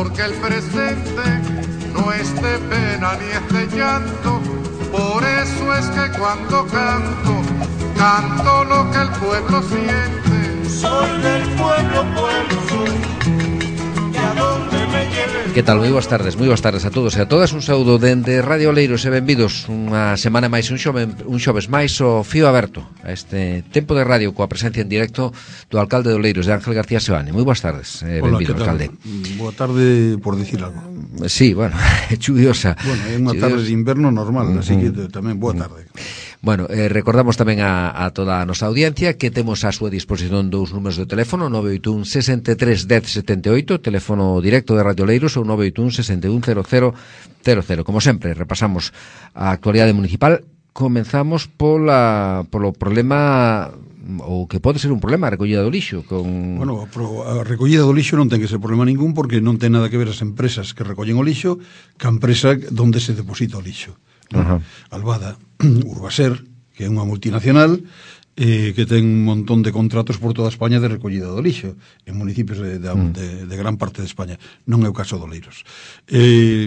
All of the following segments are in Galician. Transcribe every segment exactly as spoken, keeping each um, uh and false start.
porque el presente no es de pena ni es de llanto. Por eso es que cuando canto, canto lo que el pueblo siente. Soy del pueblo, pueblo soy, y a donde me lleve. Que tal? Moi boas tardes, moi boas tardes a todos e a todas. Un saúdo dende Radio Oleiros e benvidos unha semana máis, un xove, un xoves máis o fío aberto a este tempo de radio coa presencia en directo do alcalde de Oleiros, de Ángel García Seoane. Moi boas tardes, eh, benvido, alcalde. Boa tarde, por decir algo. Sí, bueno, chuviosa. Bueno, é unha tarde de inverno normal, uh-huh. Así que tamén boa tarde. Bueno, eh, recordamos tamén a, a toda a nosa audiencia que temos a súa disposición dous números de teléfono, nove oito un, sesenta e tres, dez, setenta e oito, teléfono directo de Radio Oleiros, ou nove oito un, sesenta e un, cero cero cero cero. Como sempre, repasamos a actualidade municipal. Comenzamos pola, polo problema, ou que pode ser un problema, a recollida do lixo. Con... Bueno, a recollida do lixo non ten que ser problema ningún, porque non ten nada que ver as empresas que recollen o lixo ca empresa onde se deposita o lixo. Uh-huh. Albada, Urbaser, que é unha multinacional eh, que ten un montón de contratos por toda España de recollida do lixo en municipios de, de, uh-huh. de, de gran parte de España. Non é o caso de Oleiros. Eh,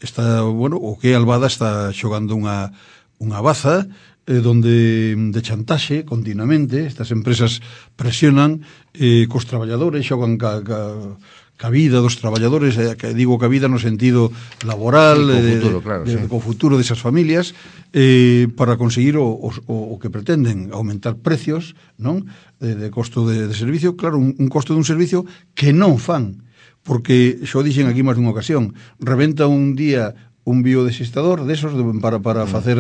está, bueno, o que Albada está xogando unha, unha baza eh, donde de chantaxe continuamente estas empresas presionan eh, cos traballadores, xogan ca, ca ca vida dos traballadores, eh, que digo ca vida no sentido laboral, sí, co futuro, claro, de, sí. co futuro desas familias, eh, para conseguir o, o, o que pretenden, aumentar precios, non, de, de costo de, de servicio, claro, un, un costo dun servicio que non fan, porque xo dixen aquí máis dunha ocasión, rebenta un día un biodesistador desos de, para, para mm. facer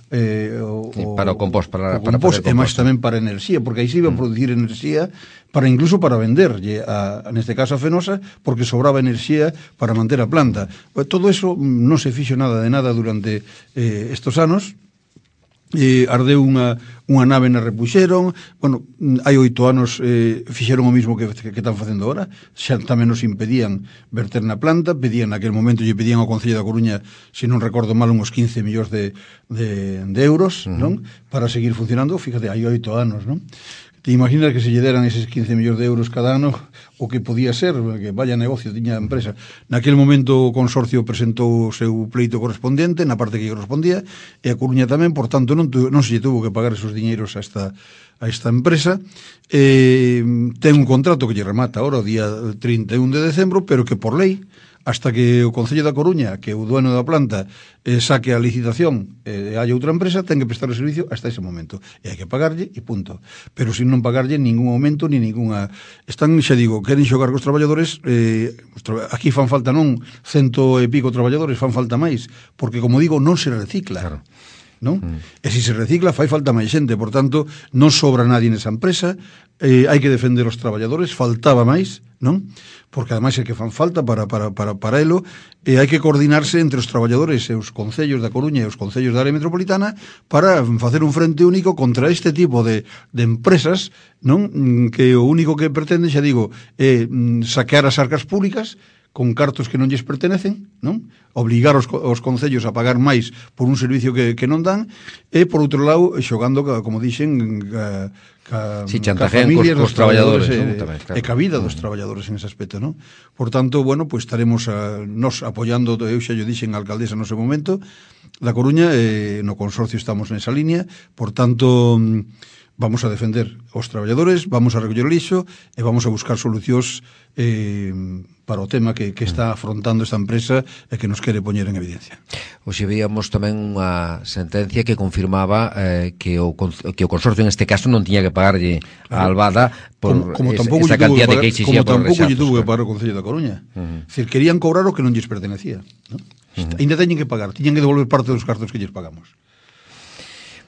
eh, o, sí, para o compost, para, o para compost, e máis tamén para enerxía, porque aí se iba a producir mm. enerxía para incluso para vender a, neste caso a Fenosa, porque sobraba enerxía para manter a planta. Todo eso non se fixo nada de nada durante eh, estos anos. Eh, ardeu unha, unha nave na repuxeron. Bueno, hai oito anos eh, fixeron o mismo que, que, que están facendo agora. Xa tamén nos impedían verter na planta, pedían naquele momento, lle pedían ao Concello da Coruña, se non recordo mal, uns quince millóns de, de, de euros, uh-huh. non? Para seguir funcionando. Fíjate, hai oito anos, non? Te imaginas que se lle deran eses quince millóns de euros cada ano, o que podía ser, que vaya negocio tiña a empresa. Naquele momento o consorcio presentou o seu pleito correspondente na parte que correspondía, e a Coruña tamén, por tanto non, tu, non se lle tuvo que pagar esos diñeiros a esta, a esta empresa. Eh, ten un contrato que lle remata ahora o día trinta e un de decembro, pero que por lei, hasta que o Concello da Coruña, que o dueño da planta, eh, saque a licitación e eh, hai outra empresa, ten que prestar o servicio hasta ese momento. E hai que pagarlle e punto. Pero sin non pagarlle ningún aumento ni ninguna... Están, xa digo, queren xogar cos traballadores, eh, aquí fan falta non cento e pico traballadores, fan falta máis, porque, como digo, non se recicla. Claro. Non? Mm. E se se recicla fai falta máis xente, por tanto non sobra nadie nesa empresa, eh, hai que defender os traballadores, faltaba máis, non? Porque ademais é que fan falta para, para, para, para elo, e hai que coordinarse entre os traballadores e os concellos da Coruña e os concellos da área metropolitana para facer un frente único contra este tipo de, de empresas, non? Que o único que pretende, xa digo, é saquear as arcas públicas con cartos que non lles pertenecen, non? Obligar os, os concellos a pagar máis por un servicio que, que non dan, e, por outro lado, xogando, como dixen, ca, ca, sí, ca familias cos, dos traballadores, traballadores, e, ¿no? Tamén, claro. e ca vida dos traballadores en ese aspecto, non? Por tanto, bueno, pues estaremos a, nos apoiando, eu xa yo dixen a alcaldesa no seu momento da Coruña, e no consorcio estamos nesa línea, por tanto... vamos a defender os traballadores, vamos a recoller o lixo e vamos a buscar solucións eh, para o tema que, que está afrontando esta empresa e que nos quere poñer en evidencia. Hoxe víamos tamén unha sentencia que confirmaba eh, que, o, que o consorcio en este caso non tiña que pagarlle a Albada por como, como esa, esa cantidad de que exixía por rexatos. Como tampouco lle tuvo claro. que pagar o Concello da Coruña. Uh-huh. Decir, querían cobrar o que non lles pertenecía, ¿no? Uh-huh. Ainda teñen que pagar, tiñan que devolver parte dos cartos que lles pagamos.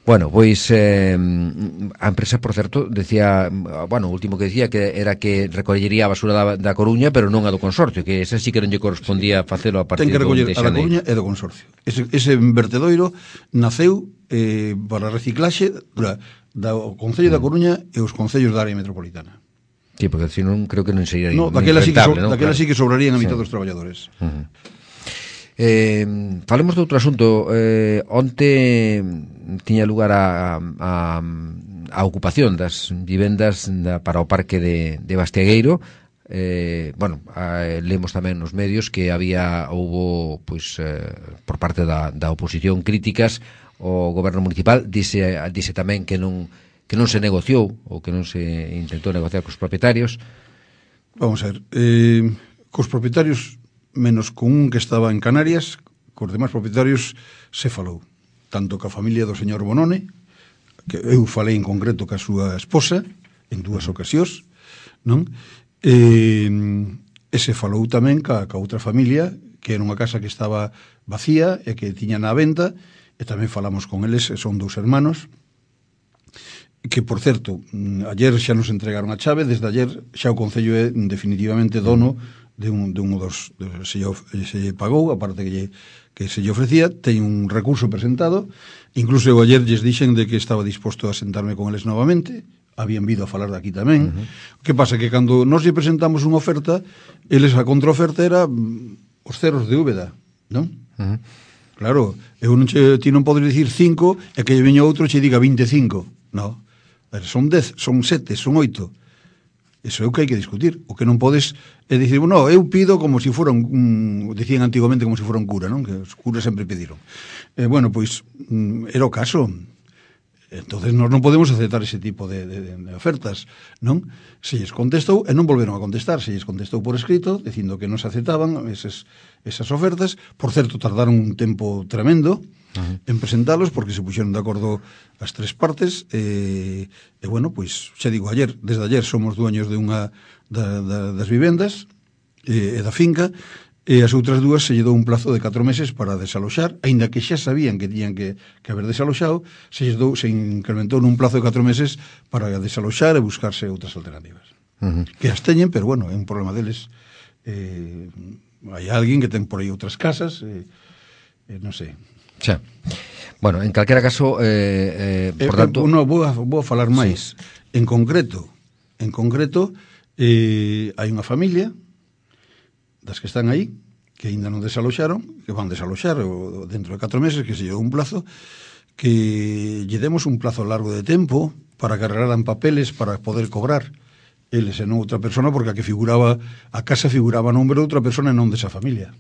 Bueno, pois eh, a empresa, por certo, decía, bueno, o último que decía que era que recollería a basura da, da Coruña, pero non a do consorcio, que esa sí que non lle correspondía facelo a partir do Ten que recoller a da Coruña e do consorcio. Ese, ese vertedoiro naceu eh, para reciclaxe da, da Concello mm. da Coruña e os concellos da área metropolitana. Sí, porque se non creo que non sería no, daquela sí que, so, ¿no? daquela claro. sí que sobrarían a mitad sí. dos traballadores. Uh-huh. Eh, falemos de outro asunto. eh, onte tiña lugar a, a, a ocupación das vivendas da, para o parque de, de Bastiagueiro, eh, bueno, eh, lemos tamén nos medios que había, houbo, pois, eh, por parte da, da oposición críticas ao goberno municipal, dice, dice tamén que non que non se negociou ou que non se intentou negociar cos propietarios. Vamos a ver, eh, cos propietarios, menos con un que estaba en Canarias, cos demais propietarios se falou, tanto ca familia do señor Bonone, que eu falei en concreto ca súa esposa en dúas ocasións, non? E, e se falou tamén ca, ca outra familia, que era unha casa que estaba vacía e que tiña na venta, e tamén falamos con eles, son dous hermanos, que, por certo, ayer xa nos entregaron a chave, desde ayer xa o Concello é definitivamente dono de un, de un dos, de, se, lle, se lle pagou, aparte que, lle, que se lle ofrecía, ten un recurso presentado, incluso eu ayer lles dixen de que estaba disposto a sentarme con eles novamente, habían vido a falar de aquí tamén. Uh-huh. Que pasa? Que cando nos lle presentamos unha oferta, eles a contraoferta era os ceros de Úbeda, non? Uh-huh. Claro, eu non che, ti non podes dicir cinco e que lle veña outro che diga vinte e cinco. Non, son dez, son sete, son oito. Eso é o que hai que discutir. O que non podes é dicir, no, eu pido como se si fora un, un, decían antigamente como se si fora un cura, non? Que os curas sempre pediron. Eh, bueno, pois, era o caso. Entonces nós non podemos aceptar ese tipo de, de, de ofertas, non? Se lles contestou, e non volveron a contestar, se lles contestou por escrito, dicindo que non se aceptaban esas, esas ofertas. Por certo, tardaron un tempo tremendo uh-huh. en presentalos, porque se puxeron de acordo as tres partes, e, e bueno, pois, xa digo, ayer, desde ayer somos dueños de unha da, da, das vivendas e, e da finca, e as outras dúas se lle dou un plazo de catro meses para desaloxar, aínda que xa sabían que tiñan que, que haber desaloxado, se lle dou, se incrementou nun plazo de catro meses para desaloxar e buscarse outras alternativas. Uh-huh. Que as teñen, pero bueno, é un problema deles. Eh, hai alguén que ten por aí outras casas, eh, eh, non sei. Xa. Bueno, en calquera caso, eh, eh, por eh, tanto... Eh, no, vou a, vou a falar máis. Sí. En concreto, en concreto, eh, hai unha familia das que están aí, que ainda non desaloxaron, que van desaloxar o, dentro de catro meses, que se lle dou un plazo, que lle demos un plazo largo de tempo para que arreglaran papeles para poder cobrar eles e non outra persona, porque a que figuraba, a casa figuraba a nombre de outra persona e non desa familia,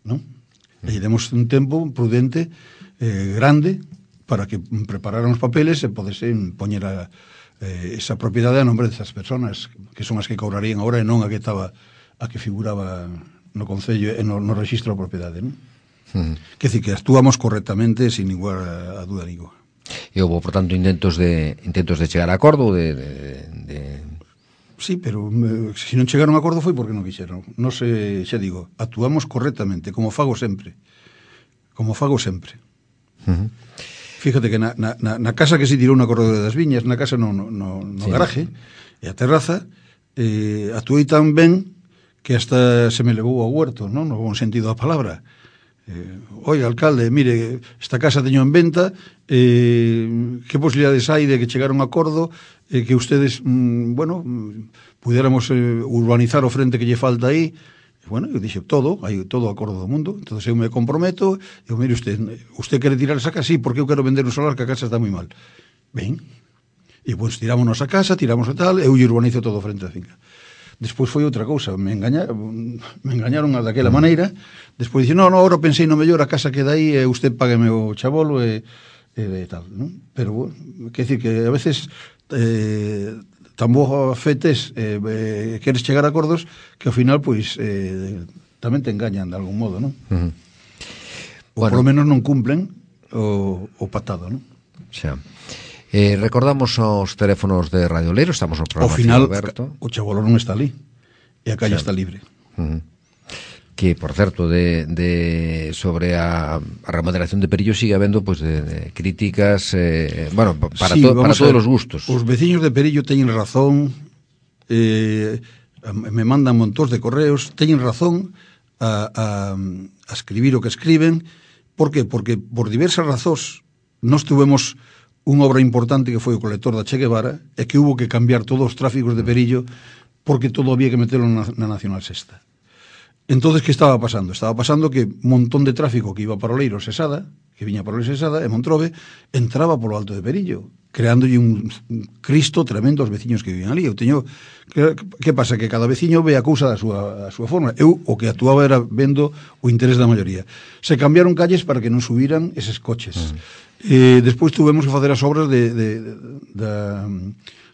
non? E lle demos un tempo prudente, eh, grande, para que prepararan os papeles e podesen poñer a, eh, esa propiedade a nombre desas personas, que son as que cobrarían agora e non a que estaba a que figuraba no Concello e no, no registro de propiedade, non? Uh-huh. Que decir, que actuamos correctamente sin ninguna a duda ninguna. E houve, por tanto, intentos de intentos de chegar a acordo de, de, de... Sí, pero me, se non chegaron a acordo foi porque non quixeron. Non se, xa digo, actuamos correctamente, como fago sempre. Como fago sempre. Uh-huh. Fíjate que na, na, na casa que se tirou na Corredora das Viñas, na casa no, no, no, no sí, garaje, e a terraza, eh, actuei tan ben que hasta se me levou ao huerto, non? No bom sentido da palabra. Eh, oi, alcalde, mire, esta casa teño en venta, eh, que posibilidades hai de que chegaron a acordo, eh, que ustedes, mm, bueno, mm, pudiéramos eh, urbanizar o frente que lle falta aí. E, bueno, eu dixo, todo, hai todo o acordo do mundo, entonces eu me comprometo, eu, mire, usted, usted quere tirar esa casa? Sí, porque eu quero vender un solar, que a casa está moi mal. Ben, e, pois, tirámonos a casa, tiramos a tal, eu lle urbanizo todo o frente da finca. Despois foi outra cousa, me engañaron, me engañaron daquela maneira. Despois dixen, no, no, ahora pensei no mellor, a casa queda aí e usted págueme o chabolo e, e, e tal, non? Pero, bueno, quer decir que a veces eh, tan boa fetes eh, eh, queres chegar a acordos que ao final, pois, eh, tamén te engañan de algún modo, non? Uh-huh. Ou bueno, polo menos non cumplen o, o patado, non? Xa. Eh, recordamos os teléfonos de Radio Leiro, estamos no programa. Ao final, o chabolo non está ali e a calle está libre. Uh-huh. Que, por certo, de, de sobre a, a remodelación de Perillo sigue habendo pues, de, de críticas, eh, bueno, para, sí, to, para todos os gustos. Os veciños de Perillo teñen razón, eh, me mandan montóns de correos, teñen razón a, a, a escribir o que escriben. Por qué? Porque por diversas razóns nós tuvemos unha obra importante que foi o colector da Che Guevara e que hubo que cambiar todos os tráficos de Perillo porque todo había que meterlo na, na Nacional Sexta. Entonces, que estaba pasando? Estaba pasando que un montón de tráfico que iba para o Leiro Sesada, que viña para o Leiro Sesada, e Montrobe, entraba polo Alto de Perillo. creándolle un, un Cristo tremendo aos veciños que viven ali. Eu teño, que, que pasa? Que cada veciño ve a cousa da súa, a súa forma. Eu o que actuaba era vendo o interés da maioría. Se cambiaron calles para que non subiran eses coches. Uh-huh. Eh, despois tuvemos que facer as obras de, de, de, da,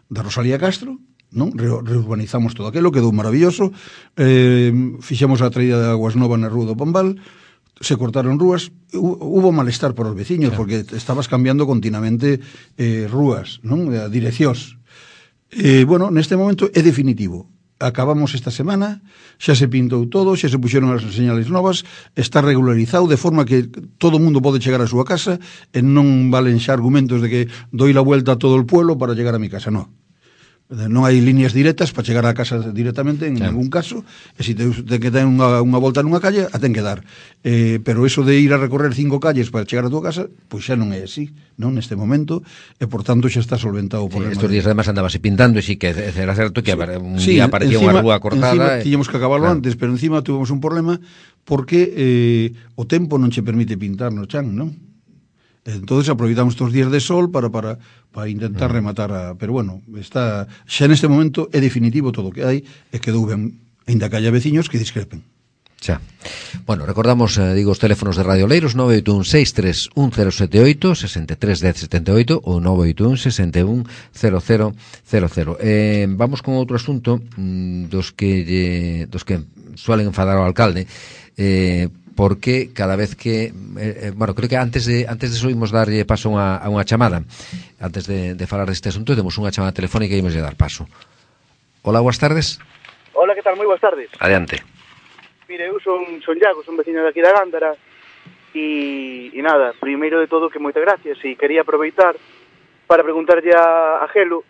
da Rosalía Castro, non? Re, reurbanizamos todo aquilo, quedou maravilloso. Eh, fixemos a traída de aguas novas na Rúa do Pambal, se cortaron rúas, hubo malestar para os veciños, claro, porque estabas cambiando continuamente eh, rúas, non? A direccións. Eh, bueno, neste momento é definitivo. Acabamos esta semana, xa se pintou todo, xa se puxeron as señales novas, está regularizado de forma que todo o mundo pode chegar á súa casa e non valen xa argumentos de que doi la vuelta a todo o pueblo para chegar a mi casa, non. Non hai líneas directas para chegar á casa directamente en claro. ningún caso, e se te, te que ten unha, unha volta nunha calle, a ten que dar. Eh, pero eso de ir a recorrer cinco calles para chegar a tua casa, pois xa non é así, non neste momento, e por tanto xa está solventado o problema. Sí, estos días además andabase pintando, e sí que era certo que sí, un sí, día aparecía unha rúa cortada. Encima, e... tiñamos que acabarlo claro. antes, pero encima tuvemos un problema porque eh, o tempo non che permite pintar no chan, non? Entonces aproveitamos estos días de sol para para para intentar uh-huh. rematar a, pero bueno, está xa neste momento é definitivo todo o que hai e quedou ben, aínda que haya veciños que discrepen. Xa. Bueno, recordamos, eh, digo, os teléfonos de Radio Oleiros nove oito un seis tres un cero sete oito, sesenta e tres dez setenta e oito ou nove oito un sesenta e un cero cero cero cero. Eh, vamos con outro asunto mmm, dos que eh, dos que suelen enfadar ao alcalde, eh, porque cada vez que eh, bueno, creo que antes de antes de subimos darlle paso a unha, a unha chamada, antes de, de falar deste asunto, temos unha chamada telefónica e imos de dar paso. Hola, boas tardes. Hola, que tal? Moi boas tardes. Adiante. Mire, eu son, son Iago, son veciño daqui da Gándara e, e nada, primeiro de todo que moitas gracias e quería aproveitar para preguntarlle a, a Gelo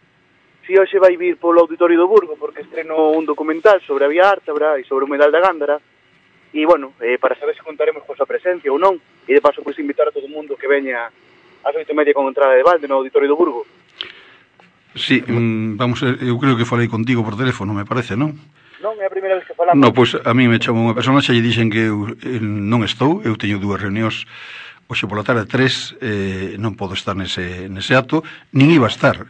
se hoxe vai vir polo Auditorio do Burgo porque estreno un documental sobre a Vía Ártabra e sobre o humedal da Gándara. E, bueno, eh, para saber se contaremos con súa presencia ou non, e de paso, pois, invitar a todo o mundo que veña ás oito e media con entrada de balde no Auditorio do Burgo. Sí, mm, vamos, eu creo que falei contigo por teléfono, me parece, non? Non, é a primeira vez que falamos. Non, pois a mí me chamou unha persona, xa lle dixen que eu eh, non estou, eu teño dúas reunións hoxe pola tarde, tres, eh, non podo estar nese, nese acto, nin iba a estar.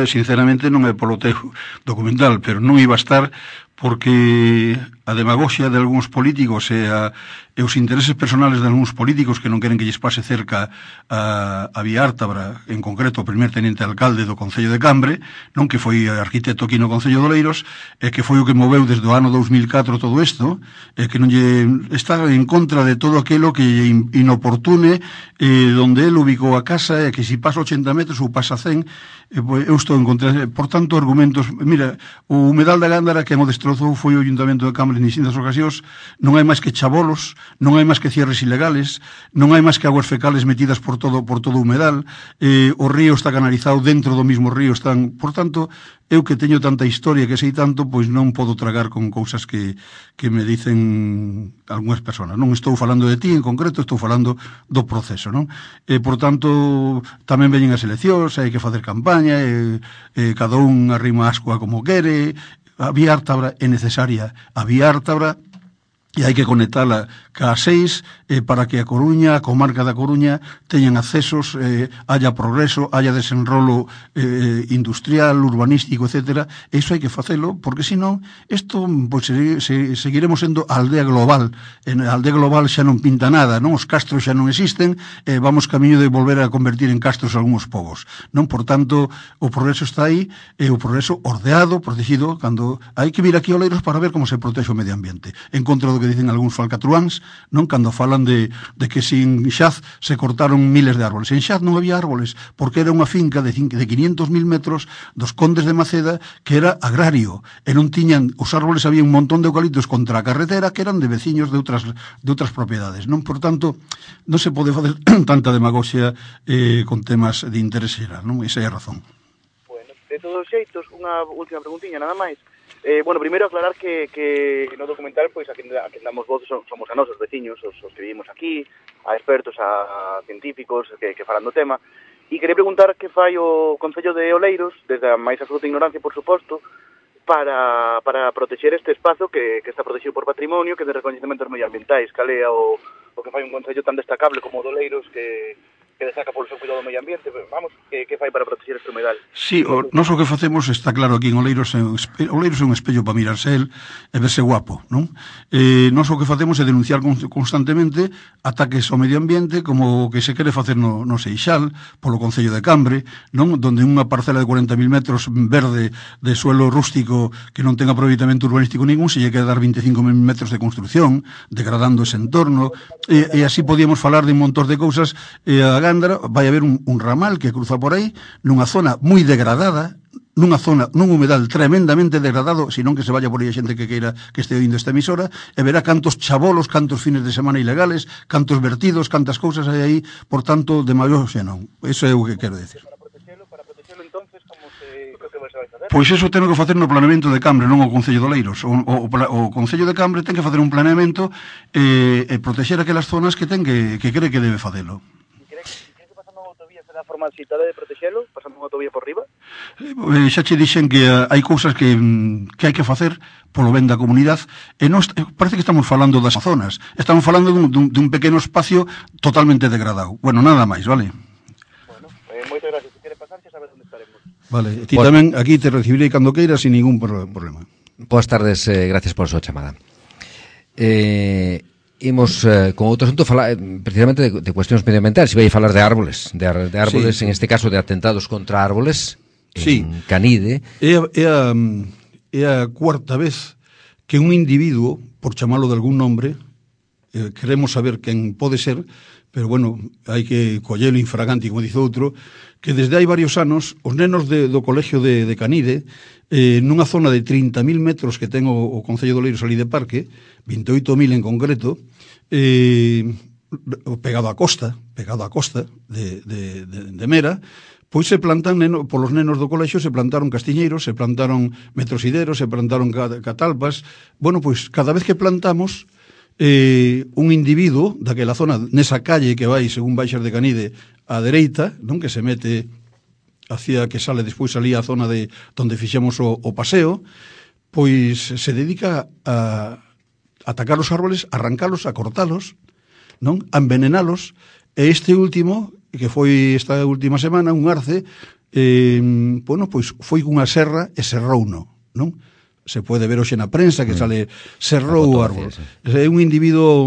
Sinceramente non é polo teu documental, pero non iba a estar porque a demagoxia de algúns políticos e, a, e os intereses personales de algúns políticos que non queren que lles pase cerca a, a Vía Ártabra, en concreto o primer teniente alcalde do Concello de Cambre, non que foi arquitecto aquí no Concello de Oleiros, e que foi o que moveu desde o ano dous mil catro todo isto, e que non lle está en contra de todo aquilo que inoportune, eh, donde el ubicou a casa, e que si pasa ochenta metros ou pasa cen, eh, pues, eu estou en contra. Por tanto, argumentos, mira, o humedal da Gándara que mo destrozou foi o Ayuntamento de Cambre en distintas ocasións, non hai máis que chabolos, non hai máis que cierres ilegales, non hai máis que aguas fecales metidas por todo por todo o humedal, eh, o río está canalizado, dentro do mismo río están, por tanto, eu que teño tanta historia, que sei tanto, pois non podo tragar con cousas que, que me dicen algunhas persoas. Non estou falando de ti en concreto, estou falando do proceso, non? E, por tanto, tamén veñen as eleccións, hai que facer campaña, e, e cada un arrima ascoa como quere. A Vía Ártabra é necesaria, a Vía Ártabra, e hai que conectala ca seis eh, para que a Coruña, a comarca da Coruña, teñan accesos, eh, haya progreso, haya desenrolo eh, industrial, urbanístico, etcétera. E iso hai que facelo, porque senón, isto, pois, se, se, seguiremos sendo a aldea global. En a aldea global xa non pinta nada, non? Os castros xa non existen, eh, vamos camiño de volver a convertir en castros algúns povos, non? Por tanto, o progreso está aí, e o progreso ordeado, protegido, cando hai que vir aquí a Oleiros para ver como se protexe o medio ambiente, en contra do que dicen algúns falcatruáns, non, cando falan de, de que sin Xaz se cortaron miles de árboles. En Xaz non había árboles, porque era unha finca de, de quinientos mil metros dos condes de Maceda, que era agrario, e non tiñan, os árboles, había un montón de eucaliptos contra a carretera que eran de veciños de outras, de outras propiedades, non? Por tanto, non se pode facer tanta demagoxia eh, con temas de interés xeral, non? Esa é a razón. Bueno, de todos os xeitos, unha última preguntiña, nada máis. Eh, bueno, primeiro aclarar que, que no documental, pois, a quen, a quen damos voz somos a nosos veciños, os, os que vivimos aquí, a expertos, a científicos que, que falan do tema, e quería preguntar que fai o Concello de Oleiros, desde a máis absoluta ignorancia, por suposto, para, para protexer este espazo que, que está protegido por patrimonio, que de recoñecementos medioambientais, cal é o, o que fai un concello tan destacable como o de Oleiros, que, que destaca polo seu cuidado do medio ambiente, vamos, que, que fai para proteger este humedal? Sí, o, nós o que facemos está claro aquí en Oleiros, é un espe, Oleiros é un espello para mirarse el e verse guapo, non? Eh, nós o que facemos é denunciar constantemente ataques ao medio ambiente, como o que se quere facer no, no Seixal, polo Concello de Cambre, non? Donde unha parcela de cuarenta mil metros verde de suelo rústico que non ten aproveitamento urbanístico ningún, se lle quere dar veinticinco mil metros de construcción, degradando ese entorno, e, e así podíamos falar de un montón de cousas, e a Gándara vai haber un, un ramal que cruza por aí, nunha zona moi degradada, nunha zona, nun humedal tremendamente degradado, senón que se vaya por aí a xente que queira que este oindo esta emisora, e verá cantos chabolos, cantos fines de semana ilegales, cantos vertidos, cantas cousas hai aí, por tanto, de maior xe non. Eso é o que quero decir. Para protegelo, para protegelo, entonces, como se... que se vai facer? Pois eso teno que facer no planeamento de Cambre, non o Concello de Oleiros. O, o, o Concello de Cambre ten que facer un planeamento e, e protexer aquelas zonas que ten que, que cree que debe facelo. A forma citada de protexelo, pasando unha autovía por riba? Eh, xa che dixen que uh, hai cousas que, que hai que facer polo ben da comunidade, e non, parece que estamos falando das zonas, estamos falando dun, dun, dun pequeno espacio totalmente degradado. Bueno, nada máis, vale? Bueno, eh, moitas gracias. Se quere pasar, xa sabes onde estaremos. Vale, ti pues, tamén aquí te recibirei cando queiras sin ningún problema. Boas tardes, eh, gracias por a súa chamada. Eh... Imos eh, con outro asunto falar eh, precisamente de, de cuestións medioambientales. Se vai falar de árboles, de, de árboles, sí. En este caso de atentados contra árboles, sí. En Canide. É a, é, a, é a cuarta vez que un individuo, por chamalo de algún nombre, eh, queremos saber quen pode ser, pero bueno, hai que collelo infraganti, como dice outro, que desde hai varios anos os nenos de, do colegio de, de Canide, eh, nunha zona de trinta mil metros que ten o, o Concello de Oleiros ali de parque, vinte e oito mil en concreto, eh, pegado á costa, pegado á costa de, de, de, de Mera, pois se plantan, neno, polos nenos do colexio, se plantaron castiñeiros, se plantaron metrosideros, se plantaron catalpas. Bueno, pois cada vez que plantamos, eh, un individuo daquela zona, nesa calle que vai, según baixas de Canide, á dereita, non, que se mete hacia que sale despois ali a zona de onde fixemos o, o paseo, pois se dedica a atacar os árboles, arrancalos, a cortalos, non? A envenenalos, e este último, que foi esta última semana, un arce, eh, bueno, pois foi cunha serra e serrouno, non? Se pode ver hoxe na prensa que sale serrou o árbol. Sí. É un individuo,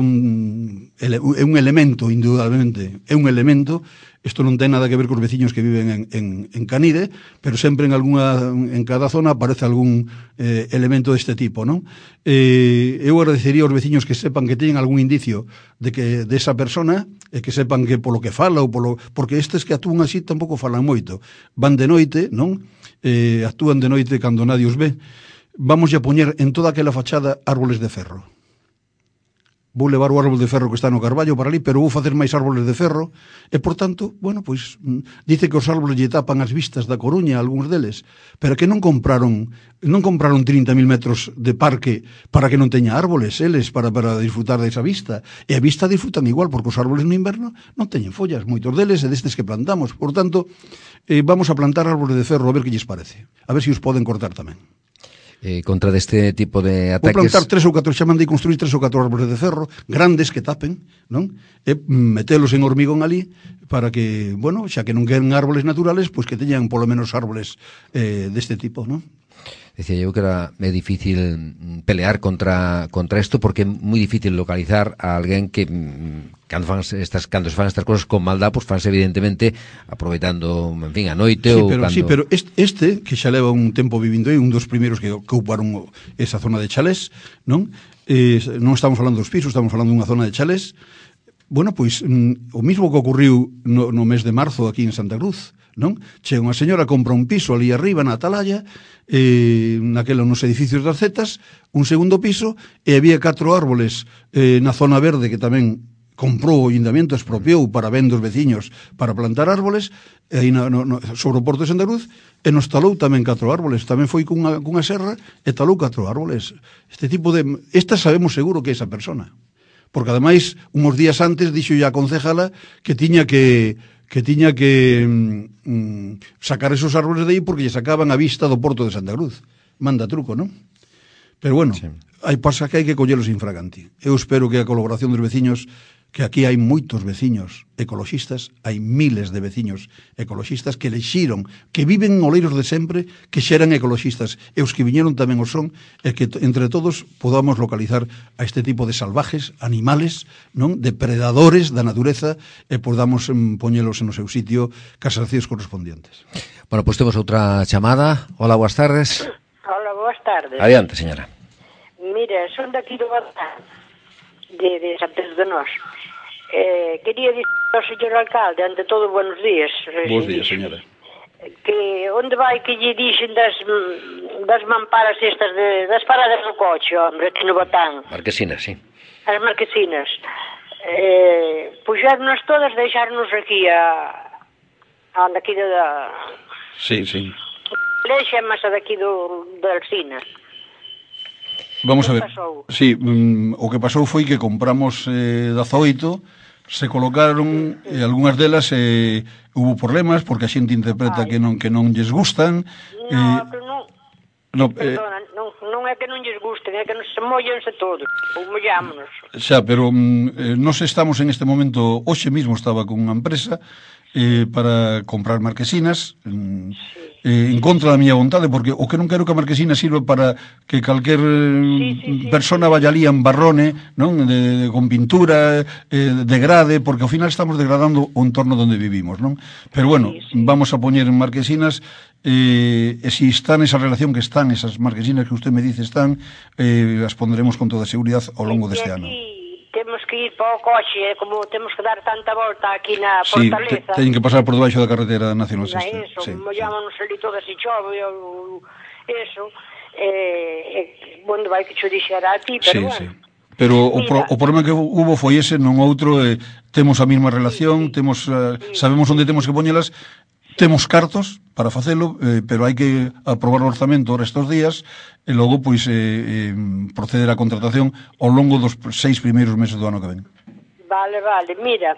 é un elemento, indudablemente, é un elemento. Isto non ten nada que ver cos veciños que viven en, en, en Canide, pero sempre en alguna, en cada zona aparece algún eh, elemento deste tipo, non? Eh, eu agradecería aos veciños que sepan que teñen algún indicio de que de esa persona, e que sepan que polo que fala ou polo, porque estes que actúan así tampouco falan moito. Van de noite, non? Eh, actúan de noite cando nadie os ve. Vamos a poñer en toda aquela fachada árboles de ferro. Vou levar o árbol de ferro que está no Carballo para ali, pero vou facer máis árboles de ferro, e, por tanto, bueno, pois, dice que os árboles lle tapan as vistas da Coruña, algúns deles, pero que non compraron non compraron trinta mil metros de parque para que non teña árboles, eles, para, para disfrutar desa vista. E a vista disfrutan igual, porque os árboles no inverno non teñen follas, moitos deles, e destes que plantamos. Por tanto, eh, vamos a plantar árboles de ferro, a ver que lles parece. A ver se os poden cortar tamén. Eh, contra deste tipo de ataques... Vou plantar tres ou catro, xa mandei construir tres ou catro árboles de ferro, grandes que tapen, non? E metelos en hormigón ali, para que, bueno, xa que non queren árboles naturales, pois que teñan polo menos árboles eh, deste tipo, non? Decía eu que era é difícil pelear contra contra isto, porque é moi difícil localizar a alguén que cando fan estas cando se fan estas cousas con maldad, pois pues fanse evidentemente aproveitando, en fin, a noite sí, ou pero, cando... Sí, pero este, este que xa leva un tempo vivindo aí, un dos primeiros que, que ocuparon esa zona de chalés, non? Eh, non estamos falando dos pisos, estamos falando dunha zona de chalés. Bueno, pois mm, o mismo que ocurriu no, no mes de marzo aquí en Santa Cruz, non? Che, unha señora compra un piso ali arriba na Atalaya, eh, naquela nos edificios das Zetas, un segundo piso, e había catro árboles eh, na zona verde que tamén comprou o Ayuntamiento, expropiou para ben dos veciños para plantar árboles, e aí no, no, sobre o Porto de Santa Cruz, e nos talou tamén catro árboles, tamén foi cunha, cunha serra e talou catro árboles. Este tipo de... Esta sabemos seguro que é esa persona, porque ademais, uns días antes, dixo ya a concejala que tiña que... que tiña que mm, sacar esos árboles de aí porque lle sacaban a vista do Porto de Santa Cruz. Manda truco, non? Pero bueno, sí. Hai pasa que hai que collelos infraganti. Eu espero que a colaboración dos veciños que aquí hai moitos veciños ecoloxistas, hai miles de veciños ecoloxistas que lexiron, que viven en Oleiros de sempre, que xa eran ecoloxistas, e os que viñeron tamén o son, e que entre todos podamos localizar a este tipo de salvajes, animales, non, depredadores da natureza, e podamos mm, poñelos en o seu sitio, cas accións correspondientes. Bueno, pois temos outra chamada. Hola, boas tardes. Hola, boas tardes. Adiante, señora. Mira, son daqui do Bazán, de, de San Pedro de Nós. Eh, quería dicir ao señor alcalde, ante todo, buenos días. Bos días, señora. Que onde vai que lle dixen das, das mamparas estas, de, das paradas do coche, hombre, aquí no Bazán. Marquesinas, sí. As marquesinas. Eh, puxernos todas, deixarnos aquí a... a daqui da... Sí, sí. Lexa é masa daqui do, da Alsina. Vamos a ver. Pasou? Sí, mm, o que pasou foi que compramos eh, dezaoito, se colocaron e eh, algunhas delas eh, hubo problemas porque a xente interpreta Ai. que non que non lles gustan. No, eh, que non... no, eh, Perdona, non, non é que non lles gusten, é que non se mollense todos, ou mollámonos. xa, pero mm, eh, nós estamos en este momento, hoxe mismo estaba con unha empresa eh, para comprar marquesinas, mm, eh, en contra da miña vontade, porque o que non quero que a marquesina sirva para que calquer Sí, sí, sí, persona sí. vaya ali en barrone, non? De, de, con pintura, eh, degrade, porque ao final estamos degradando o entorno onde vivimos, non? Pero bueno, Sí, sí. vamos a poñer en marquesinas, eh, e si están esa relación que están, esas marquesinas que usted me dice están, eh, as pondremos con toda seguridad ao longo deste ano. Temos que ir para o coche, eh, como temos que dar tanta volta aquí na Sí, te, Fortaleza. teñen que pasar por debaixo da carretera nacional Na sexta. eso, Sí, mollámonos ali todas e chove, ou eso. Eh, eh, onde vai que cho dixera a ti, pero sí, bueno. sí. Pero o, pro, Mira. o problema que hubo foi ese, non outro, eh, temos a mesma relación, temos uh, sabemos onde temos que poñelas, temos cartos para facelo, eh, pero hai que aprobar o orzamento ahora estes días e logo pois eh, eh, proceder á contratación ao longo dos seis primeiros meses do ano que ven. Vale, vale, mira,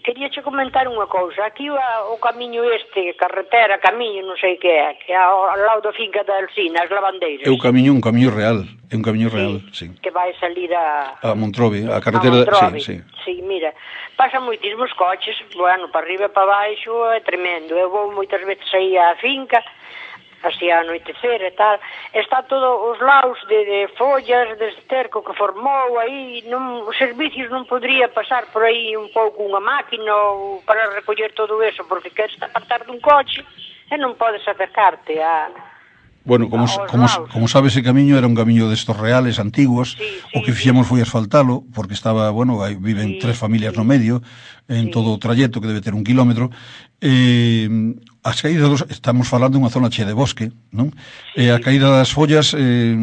quería che comentar unha cousa. Aquí o, o camiño este, carretera, camiño, non sei que é, que é ao, ao lado da finca da Alsina, as lavandeiras. É un camiño, un camiño real, é un camiño real, sí. Que vai salir a... A Montrove, a carretera, a Montrove. sí, sí. Sí, mira, pasan moitísimos coches, bueno, para arriba e para baixo é tremendo. Eu vou moitas veces aí á finca, así a anoitecer e tal, está todo os laos de, de follas, de esterco que formou aí, non, os servicios non podría pasar por aí un pouco unha máquina ou para recoller todo eso, porque queres apartar dun coche e non podes acercarte a... Bueno, como, aos como, laos. como sabe, ese camiño era un camiño destos reales, antiguos. Sí, sí, O que sí. fixemos foi asfaltalo, porque estaba, bueno, aí viven Sí, tres familias sí. no medio, en Sí. todo o trayecto, que debe ter un kilómetro. Eh, as caídas dos, estamos falando dunha zona chea de bosque, non? Sí. E a caída das follas eh,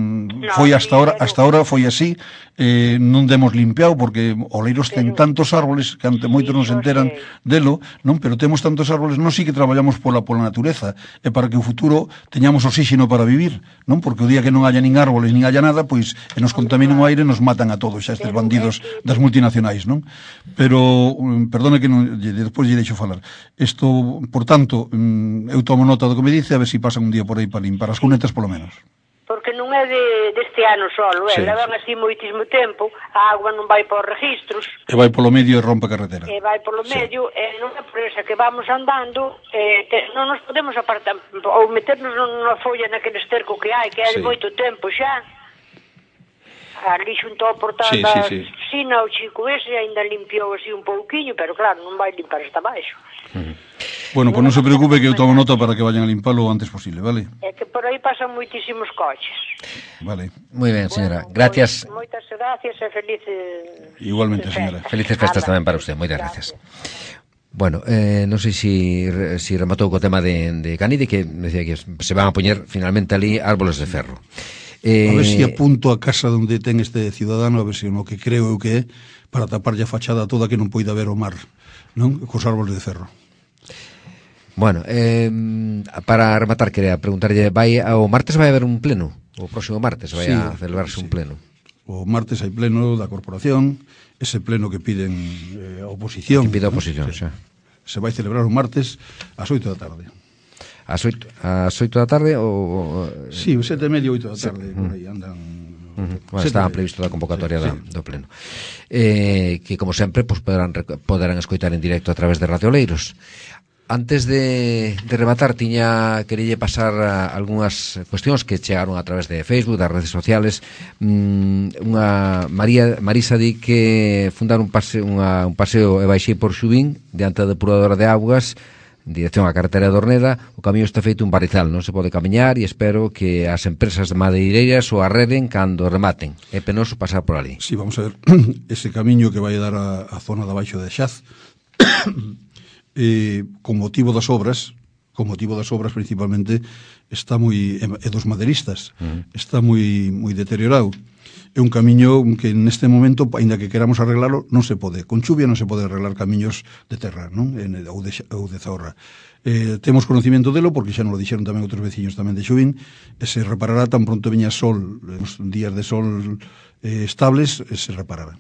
foi hasta sí, ahora, pero- hasta ahora foi así, eh, non demos limpiado, porque Oleiros ten Pero- tantos árboles que ante Sí, moitos non se yo enteran sei. delo, non? Pero temos tantos árboles, non si que traballamos pola pola natureza, e para que o futuro teñamos oxígeno para vivir, non? Porque o día que non haya nin árboles, nin haya nada, pois e nos contaminen o aire, nos matan a todos xa estes Pero bandidos é que- das multinacionais, non? Pero um, perdone que non, lle- despois lle deixo falar. Isto, por tanto, um, eu tomo nota do que me dice, a ver se si pasan un día por aí para limpar as cunetas polo menos. Porque non é de, deste ano solo, é, Sí. levan así moitísimo tempo, a agua non vai por registros, E vai polo medio e rompe a carretera. e vai polo Sí. medio, e non é por esa que vamos andando, e te, non nos podemos apartar, ou meternos nunha folla naquele esterco que hai, que é de Sí. moito tempo xa. Ali xunto ao portal Sí, da sí, sí. Sina, o chico ese ainda limpiou así un pouquiño, pero claro, non vai limpar hasta baixo. Bueno, pois non se preocupe que eu tomo nota para que vayan a limpalo o antes posible, vale? É que por aí pasan moitísimos coches. Vale. Muy ben, señora. Bueno, Gracias. pois, moitas gracias e felices... Igualmente, festas. señora. Felices festas Nada. tamén para usted. Moitas gracias. Bueno, eh, non sei si, si rematou co tema de, de Canide, que decía que se van a poñer finalmente ali árboles de ferro. Eh, A ver se si apunto a casa onde ten este cidadano, a ver se si no que creo eu que é, para taparlle a fachada toda que non poida ver o mar, non? Cos árboles de ferro. Bueno, eh, para rematar, quería preguntarlle, vai ao martes vai haber un pleno? O próximo martes vai Sí, a celebrarse sí. un pleno? O martes hai pleno da corporación, ese pleno que piden eh, a oposición. Que pide a ¿no? oposición, Se, xa. se vai celebrar o martes ás oito da tarde. Ás oito, ás oito da tarde ou... Sí, o sete e media, oito da tarde, por aí andan Uh-huh. Bueno, estaba previsto da convocatoria sí, da, sí. do pleno. Eh, que, como sempre, pues, poderán, poderán escoitar en directo a través de Radio Oleiros. Antes de, de rematar, tiña querille pasar a algunhas cuestións que chegaron a través de Facebook, das redes sociales. Mm, unha María Marisa di que fundar un paseo, unha, un paseo e baixei por Xubín diante da depuradora de augas en dirección á carretera de Orneda. O camiño está feito un barrizal, non se pode camiñar, e espero que as empresas de madeireiras o arreden cando rematen. É penoso pasar por ali. Sí, vamos a ver, ese camiño que vai dar a, a zona de abaixo de Xaz Eh, con motivo das obras, con motivo das obras principalmente, está moi, e dos maderistas, uh-huh. está moi moi deteriorado. É un camiño que neste momento, aínda que queramos arreglalo, non se pode. Con chuvia non se pode arreglar camiños de terra, non? En, ou, de, ou de zorra. Eh, temos conocimiento delo, porque xa nos lo dixeron tamén outros veciños tamén de Xubín, e se reparará tan pronto viña sol, os días de sol eh, estables, se reparará.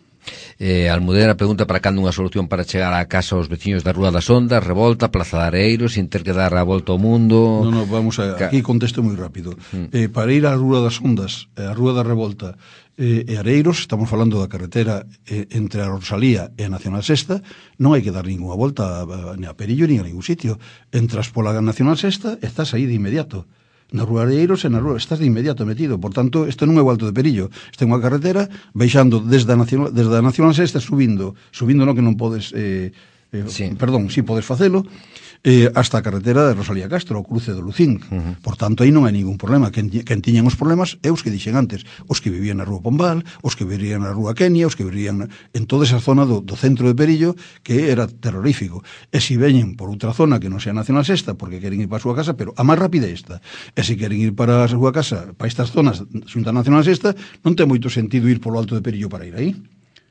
Eh, Almudena pregunta para cando unha solución para chegar á casa aos veciños da Rúa das Ondas, Revolta, Plaza de Areiros, sin ter que dar a volta ao mundo. Non, non, vamos a, aquí contesto moi rápido. Mm. Eh, para ir á Rúa das Ondas, a Rúa da Revolta eh, e Areiros, estamos falando da carretera eh, entre a Rosalía e a Nacional Sexta, non hai que dar ninguna volta a, a, a Perillo ni a ningún sitio. Entras pola Nacional Sexta, estás aí de inmediato. Na Rúa de Areiros e na Rúa, estás de inmediato metido. Por tanto, isto non é o Alto de Perillo, isto é unha carretera baixando desde a Nacional, desde a Nacional Sexta, subindo, subindo non que non podes eh, eh, sí. perdón, si sí podes facelo, eh, hasta a carretera de Rosalía Castro, o cruce do Lucín. Uh-huh. Por tanto, aí non hai ningún problema. Quen, quen tiñan os problemas é os que dixen antes, os que vivían na Rúa Pombal, os que vivían na Rúa Kenia, os que vivían en toda esa zona do, do centro de Perillo, que era terrorífico. E se veñen por outra zona que non sea Nacional Sexta, porque queren ir para a súa casa, pero a máis rápida é esta. E se queren ir para a súa casa, para estas zonas xunta Nacional Sexta, non ten moito sentido ir polo Alto de Perillo para ir aí.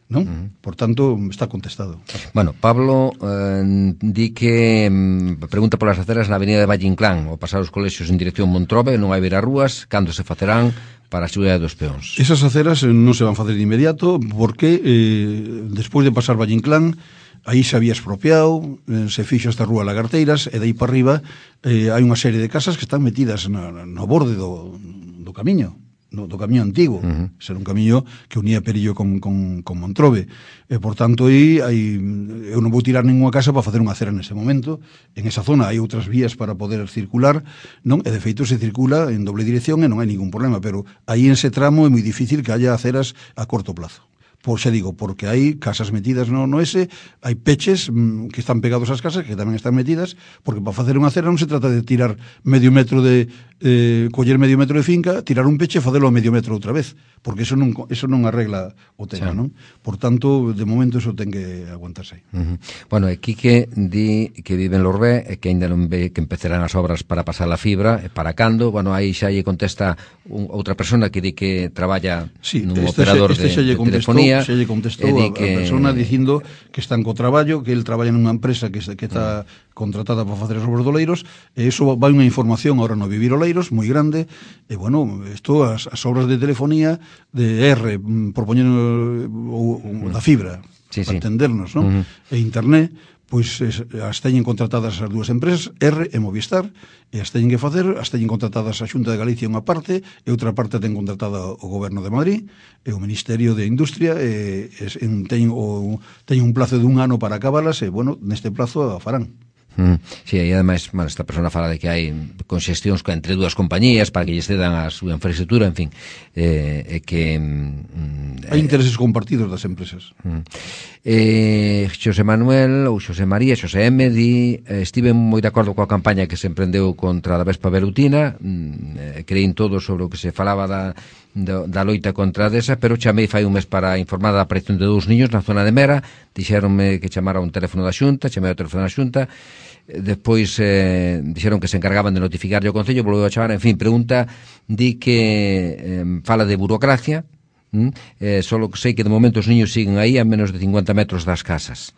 Non? Uh-huh. Por tanto, está contestado. Bueno, Pablo eh, di que mm, pregunta polas aceras na avenida de Valle Inclán, ao pasar os colexios en dirección Montrobe, non hai ver as rúas, cando se facerán para a seguridade dos peóns? Esas aceras non se van facer de inmediato, porque eh, despois de pasar Valle Inclán, aí se había expropiado, eh, se fixo esta rúa Lagarteiras, e dai para arriba eh, hai unha serie de casas que están metidas no, no borde do, do camiño. No, do camiño antigo, uh-huh. Ser un camiño que unía Perillo con, con, con Montrobe, e por tanto aí, aí eu non vou tirar ninguna casa para facer unha acera nese momento. En esa zona hai outras vías para poder circular, non? E de feito se circula en doble dirección e non hai ningún problema, pero aí en ese tramo é moi difícil que haya aceras a corto plazo. Por xa digo, porque hai casas metidas no, no ese, hai peches mmm, que están pegados ás casas que tamén están metidas, porque para facer unha acera non se trata de tirar medio metro de eh, coller medio metro de finca, tirar un peche e facelo a medio metro outra vez, porque eso non, eso non arregla o tema, sí. Non? Por tanto, de momento eso ten que aguantarse aí. Uh-huh. Bueno, e Quique di que vive en Lorbé e que ainda non ve que empezarán as obras para pasar a fibra, e para cando. Bueno, aí xa lle contesta un, outra persona que di que traballa sí, nun este operador xe, este de, de telefonía. Se lle contestou a, que... a persona dicindo que están co traballo, que el traballa nunha empresa que, que está uh-huh. contratada para facer as obras do Oleiros, e iso vai unha información ahora no Vivir Oleiros moi grande, e bueno, isto as, as obras de telefonía de R, propoñendo o, o, da fibra, sí, para sí. entendernos, non? Uh-huh. E internet, pois as teñen contratadas as dúas empresas, R e Movistar, e as teñen que facer, as teñen contratadas a Xunta de Galicia unha parte, e outra parte ten contratada o Goberno de Madrid, e o Ministerio de Industria, e, e teñen, o, teñen un plazo de un ano para acabalas, e, bueno, neste plazo a farán. Mm, sí, e ademais, bueno, esta persona fala de que hai conxestións entre dúas compañías para que lles cedan a súa infraestructura, en fin, eh, eh, que mm, hai intereses compartidos das empresas. Mm. Eh, Xosé Manuel ou Xosé María, Xosé M di, eh, estive moi de acordo coa campaña que se emprendeu contra a Vespa velutina, mm, eh, creín todo sobre o que se falaba da Da, da loita contra desa, pero chamei fai un mes para informar da aparición de dous niños na zona de Mera, dixeronme que chamara un teléfono da Xunta, chamei o teléfono da Xunta, despois eh, dixeron que se encargaban de notificarlle o Concello, volveu a chamar, en fin, pregunta, di que eh, fala de burocracia, mm, eh, solo sei que de momento os niños siguen aí a menos de cincuenta metros das casas.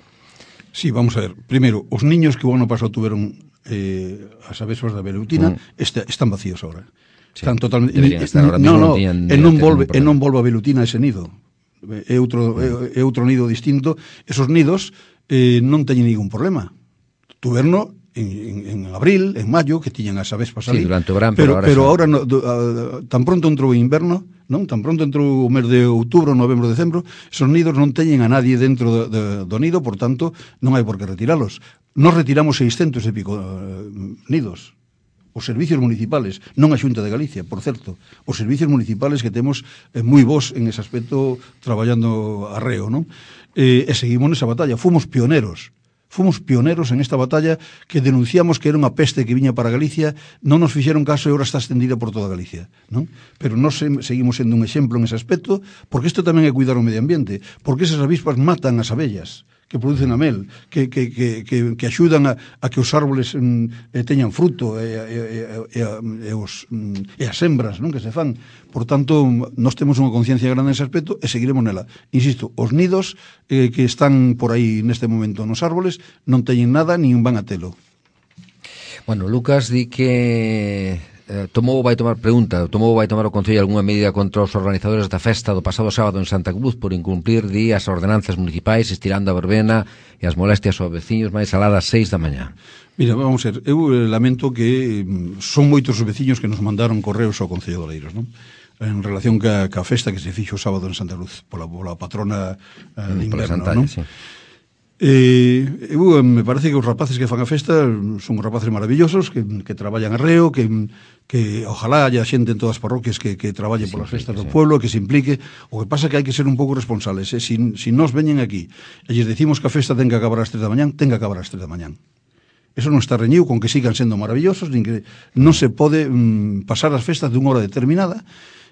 Sí, vamos a ver, primeiro, os niños que o ano pasado tuveron eh, as avesas da velutina mm. este, están vacíos ahora. Sí, están totalmente estar ahora mismo, no, no, e non volve e non volve a velutina ese nido. É outro é, é outro nido distinto. Esos nidos eh, non teñen ningún problema. Tuverno en, en abril, en maio, que tiñan as avespas ali. Sí, durante o verán, pero, pero, pero ahora, ahora no, do, a, tan pronto entrou o inverno, non? Tan pronto entrou o mes de outubro, novembro, decembro, esos nidos non teñen a nadie dentro do, do, do nido, por tanto, non hai por que retiralos. Nos retiramos seiscentos e pico uh, nidos. Os servicios municipales, non a Xunta de Galicia, por certo, os servicios municipales que temos eh, moi vos en ese aspecto traballando arreo, non? Eh, e seguimos nesa batalla, fomos pioneros. Fomos pioneros en esta batalla que denunciamos que era unha peste que viña para Galicia, non nos fixeron caso e agora está extendida por toda Galicia, non? Pero nós seguimos sendo un exemplo en ese aspecto, porque isto tamén é cuidar o medio ambiente, porque esas avispas matan as abellas que producen a mel, que, que, que, que, que axudan a, a que os árboles mm, eh, teñan fruto e, e, e, e, os, mm, e as hembras, non, que se fan. Por tanto, nós temos unha conciencia grande nese aspecto e seguiremos nela. Insisto, os nidos eh, que están por aí neste momento nos árboles non teñen nada nin van a telo. Bueno, Lucas di que eh, tomou vai tomar pregunta, tomou vai tomar o Concello algunha medida contra os organizadores da festa do pasado sábado en Santa Cruz por incumplir di as ordenanzas municipais estirando a verbena e as molestias aos veciños máis alá das seis da mañá. Mira, vamos a ver, eu lamento que son moitos os veciños que nos mandaron correos ao Concello de Oleiros, non? En relación ca, ca festa que se fixo o sábado en Santa Cruz pola, pola patrona eh, de inverno, non? Sí. Eh, eu, me parece que os rapaces que fan a festa son os rapaces maravillosos que, que traballan arreo, que, que ojalá haya xente en todas as parroquias que, que traballe sí, polas festas sí, do sí. pueblo, que se implique. O que pasa é que hai que ser un pouco responsables, eh? si, si nos veñen aquí e lles decimos que a festa ten que acabar ás tres da mañán, ten que acabar ás tres da mañán. Eso non está reñido con que sigan sendo maravillosos, nin que non se pode mm, pasar as festas dunha hora determinada.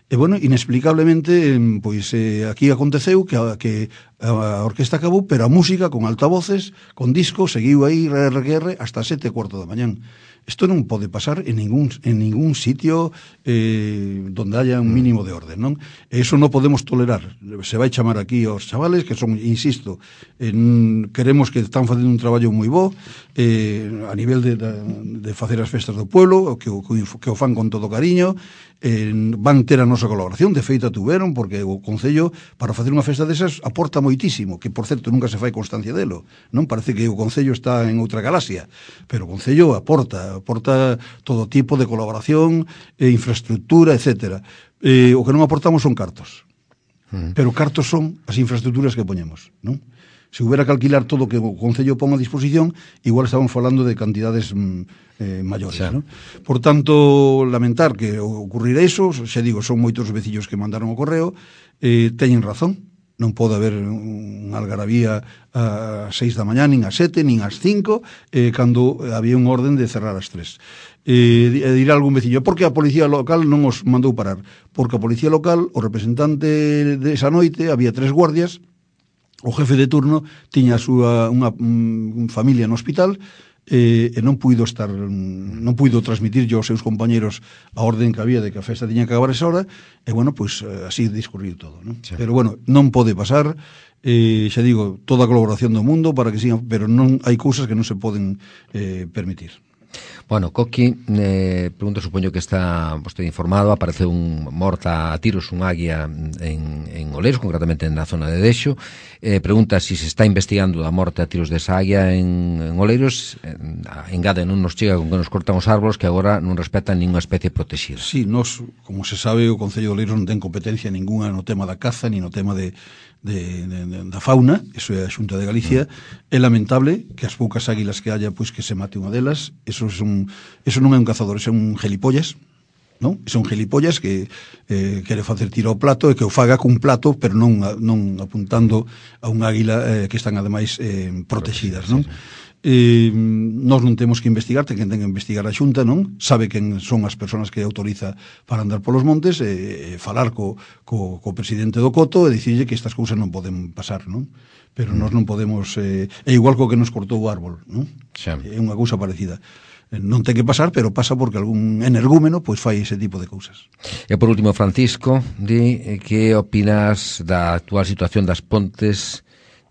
E, bueno, inexplicablemente, pois, eh, aquí aconteceu que a, que a orquesta acabou, pero a música, con altavoces, con disco, seguiu aí, R R R, hasta sete e cuarto da mañán. Isto non pode pasar en ningún, en ningún sitio eh, donde haya un mínimo de orden, non? E iso non podemos tolerar. Se vai chamar aquí aos chavales, que son, insisto, en, queremos que están facendo un traballo moi bo, eh, a nivel de, de, de facer as festas do pueblo, que, que, que o fan con todo cariño, eh, van ter a nosa colaboración, de feita tuveron, porque o Concello, para facer unha festa desas, aporta moitísimo, que, por certo, nunca se fai constancia delo, non? Parece que o Concello está en outra galaxia, pero o Concello aporta, aporta todo tipo de colaboración, eh, infraestructura, etcétera. Eh, o que non aportamos son cartos, uh-huh. pero cartos son as infraestructuras que poñemos, non? Se hubiera que alquilar todo o que o Concello pon a disposición, igual estamos falando de cantidades eh, maiores, xa. ¿No? Por tanto, lamentar que ocurrirá iso, xa digo, son moitos veciños que mandaron o correo, eh, teñen razón, non pode haber unha algarabía a seis da mañá, nin a sete, nin as cinco, eh, cando había un orden de cerrar as tres. Eh, dirá algún veciño, por que a policía local non os mandou parar? Porque a policía local, o representante de esa noite, había tres guardias, o jefe de turno tiña a súa unha um, familia no hospital eh, e non puido estar non puido transmitir aos seus compañeros a orden que había de que a festa tiña que acabar esa hora e bueno, pois pues, así discurrir todo, non? Sí. Pero bueno, non pode pasar, eh, xa digo, toda a colaboración do mundo para que sigan, pero non hai cousas que non se poden eh, permitir. Bueno, Coqui, eh, pregunta, supoño que está vostede informado, apareceu un morta a tiros, un águia en, en Oleiros, concretamente na zona de Dexo, eh, pregunta se si se está investigando a morte a tiros desa águia en, en Oleiros, en, engade non nos chega con que nos cortan os árboles que agora non respetan ninguna especie protexida. Sí, nos, como se sabe, o Concello de Oleiros non ten competencia ninguna no tema da caza, ni no tema de De, de, de, da fauna, eso é a Xunta de Galicia. Mm. É lamentable que as poucas águilas que haya, pois que se mate unha delas. Eso, es un, eso non é un cazador, eso é un gelipollas, non? Son gelipollas que eh, quere facer tiro ao plato e que o faga cun plato, pero non, non apuntando a un águila eh, que están ademais eh, protegidas, non? Sí, sí. Eh, nós non temos que investigar, ten que ten que investigar a Xunta, non? Sabe quen son as persoas que autoriza para andar polos montes e eh, falar co, co, co presidente do Coto e dicirlle que estas cousas non poden pasar, non? Pero mm. nós non podemos eh, é igual co que nos cortou o árbol, non? Xa. É unha cousa parecida. Non ten que pasar, pero pasa porque algún energúmeno pois fai ese tipo de cousas. E por último, Francisco, di que opinas da actual situación das pontes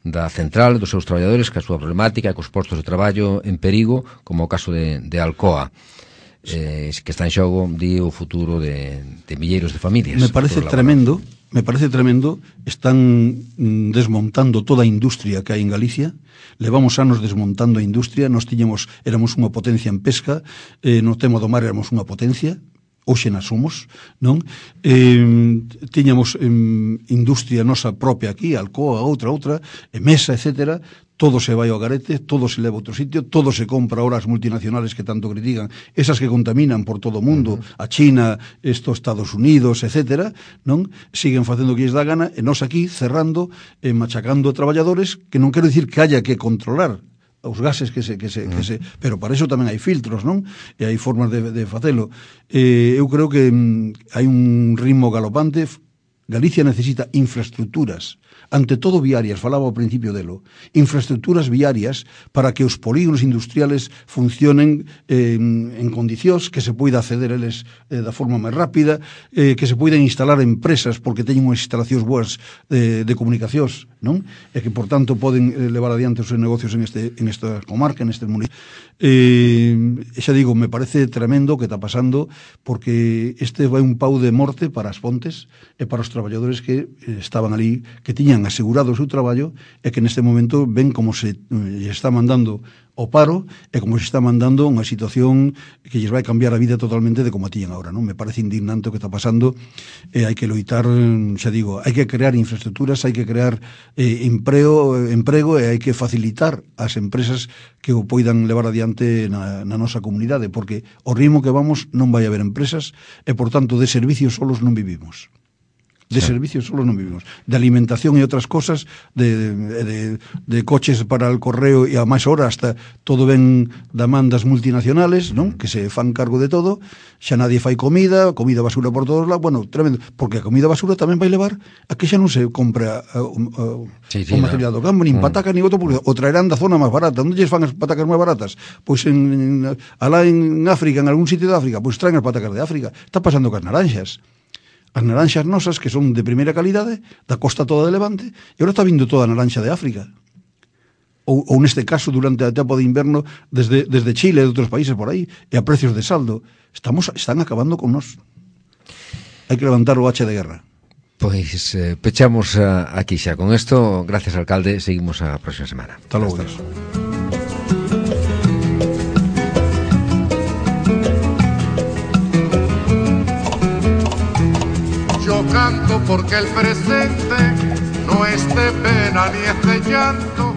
da central, dos seus traballadores, que a súa problemática e cos postos de traballo en perigo, como o caso de, de Alcoa, eh, que está en xogo, di, o futuro de, de milleiros de familias. Me parece tremendo, me parece tremendo, están mm, desmontando toda a industria que hai en Galicia. Levamos anos desmontando a industria. Nos tiñamos, éramos unha potencia en pesca, eh, no tema do mar éramos unha potencia, hoxe na somos, non? Eh, tiñamos eh, industria nosa propia aquí, Alcoa, outra, outra, e Mesa, etcétera. Todo se vai ao garete, todo se leva a outro sitio, todo se compra ahora as multinacionales que tanto critican, esas que contaminan por todo o mundo, uh-huh. a China, estos Estados Unidos, etcétera, non? Siguen facendo o que lles dá gana, e nós aquí cerrando, eh, machacando a traballadores, que non quero dicir que haya que controlar os gases que se, que se, que se, pero para eso tamén hai filtros, non? E hai formas de, de facelo. Eh, eu creo que mm, hai un ritmo galopante. Galicia necesita infraestructuras, ante todo viarias, falaba ao principio delo, infraestructuras viarias para que os polígonos industriales funcionen eh, en condicións, que se poida acceder a eles eh, da forma máis rápida, eh, que se poidan instalar empresas porque teñen unhas instalacións boas de, de comunicacións, non? E que, por tanto, poden eh, levar adiante os seus negocios en, este, en esta comarca, en este municipio. Eh, xa digo, me parece tremendo o que está pasando, porque este vai un pau de morte para as Pontes e para os traballadores que eh, estaban ali, que tiñan asegurado o seu traballo, e que neste momento ven como se eh, está mandando o paro e como se está mandando unha situación que lles vai cambiar a vida totalmente de como a tiñan agora, non? Me parece indignante o que está pasando, e hai que loitar, xa digo, hai que crear infraestructuras, hai que crear eh, emprego, emprego e hai que facilitar ás empresas que o poidan levar adiante na, na nosa comunidade, porque o ritmo que vamos non vai haber empresas e, por tanto, de servicios solos non vivimos. De sí. servicios solo non vivimos. De alimentación e outras cosas, de, de, de coches para el correo e a máis hora hasta todo ven demandas multinacionales, non? Que se fan cargo de todo, xa nadie fai comida, comida basura por todos lados, bueno, tremendo, porque a comida basura tamén vai levar a que xa non se compra uh, uh, sí, sí, o material no. do campo, nin mm. patacas, nin outro, porque o traerán da zona máis barata. Onde lles fan as patacas máis baratas? Pois en, en, alá en África, en algún sitio de África, pois traen as patacas de África. Está pasando cas naranxas. As naranxas nosas, que son de primeira calidade, da costa toda de Levante, e agora está vindo toda a naranxa de África. Ou, ou neste caso, durante a tempo de inverno, desde, desde Chile e de outros países por aí, e a precios de saldo. Estamos, están acabando con nós. Hai que levantar o hacha de guerra. Pois eh, pechamos uh, aquí xa. Con isto, gracias, alcalde, seguimos a próxima semana. Hasta logo. Yo canto porque el presente no es de pena ni es de llanto.